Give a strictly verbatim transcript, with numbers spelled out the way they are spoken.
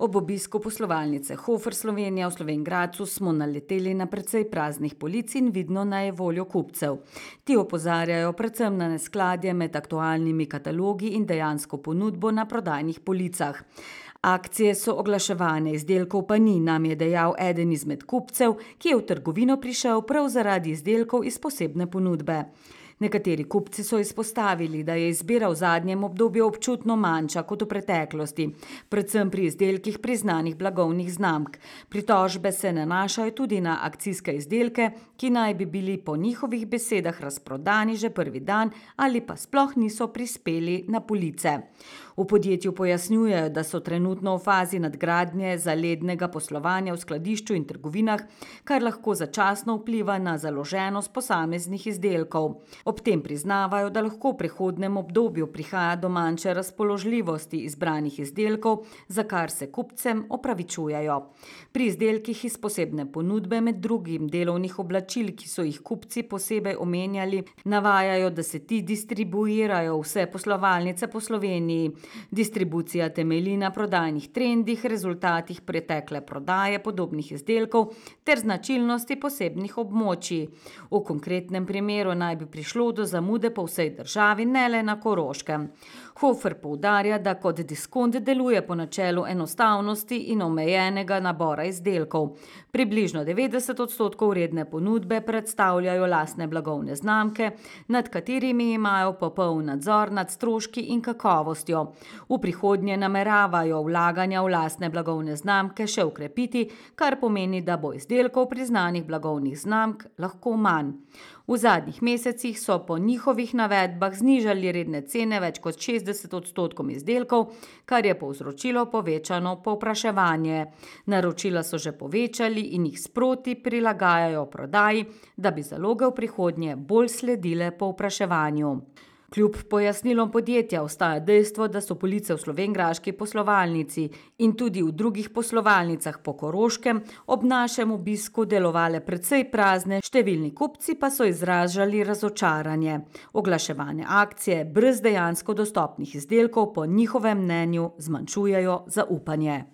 Ob obisku poslovalnice Hofer Slovenija v Slovenj Gradcu smo naleteli na precej praznih polic in vidno nejevoljo kupcev. Ti opozarjajo predvsem na neskladje med aktualnimi katalogi in dejansko ponudbo na prodajnih policah. Akcije so oglaševane, izdelkov pa ni, nam je dejal eden izmed kupcev, ki je v trgovino prišel prav zaradi izdelkov iz posebne ponudbe. Nekateri kupci so izpostavili, da je izbira v zadnjem obdobju občutno manjša kot v preteklosti, predvsem pri izdelkih priznanih blagovnih znamk. Pritožbe se nanašajo tudi na akcijske izdelke, ki naj bi bili po njihovih besedah razprodani že prvi dan ali pa sploh niso prispeli na police. V podjetju pojasnjujejo, da so trenutno v fazi nadgradnje zalednega poslovanja v skladišču in trgovinah, kar lahko začasno vpliva na založenost posameznih izdelkov. Ob tem priznavajo, da lahko v prihodnjem obdobju prihaja do manjše razpoložljivosti izbranih izdelkov, za kar se kupcem opravičujejo. Pri izdelkih iz posebne ponudbe, med drugim delovnih oblačil, ki so jih kupci posebej omenjali, navajajo, da se ti distribuirajo vse poslovalnice po Sloveniji. Distribucija temelji na prodajnih trendih, rezultatih pretekle prodaje podobnih izdelkov ter značilnosti posebnih območij. V konkretnem primeru naj bi prišlo do zamude po vsej državi, ne le na Koroškem. Hofer poudarja, da kot diskont deluje po načelu enostavnosti in omejenega nabora izdelkov. Približno devetdeset odstotkov vredne ponudbe predstavljajo lastne blagovne znamke, nad katerimi imajo popoln nadzor nad stroški in kakovostjo. V prihodnje nameravajo vlaganja v lastne blagovne znamke še okrepiti, kar pomeni, da bo izdelkov priznanih blagovnih znamk lahko manj. V zadnjih mesecih so po njihovih navedbah znižali redne cene več kot šestdeset odstotkom izdelkov, kar je povzročilo povečano povpraševanje. Naročila so že povečali in jih sproti prilagajajo prodaji, da bi zaloge v prihodnje bolj sledile povpraševanju. Kljub pojasnilom podjetja ostaja dejstvo, da so police v slovenjgraški poslovalnici in tudi v drugih poslovalnicah po Koroškem ob našem obisku delovale precej prazne, številni kupci pa so izražali razočaranje. Oglaševane akcije brez dejansko dostopnih izdelkov po njihovem mnenju zmanjšujejo zaupanje.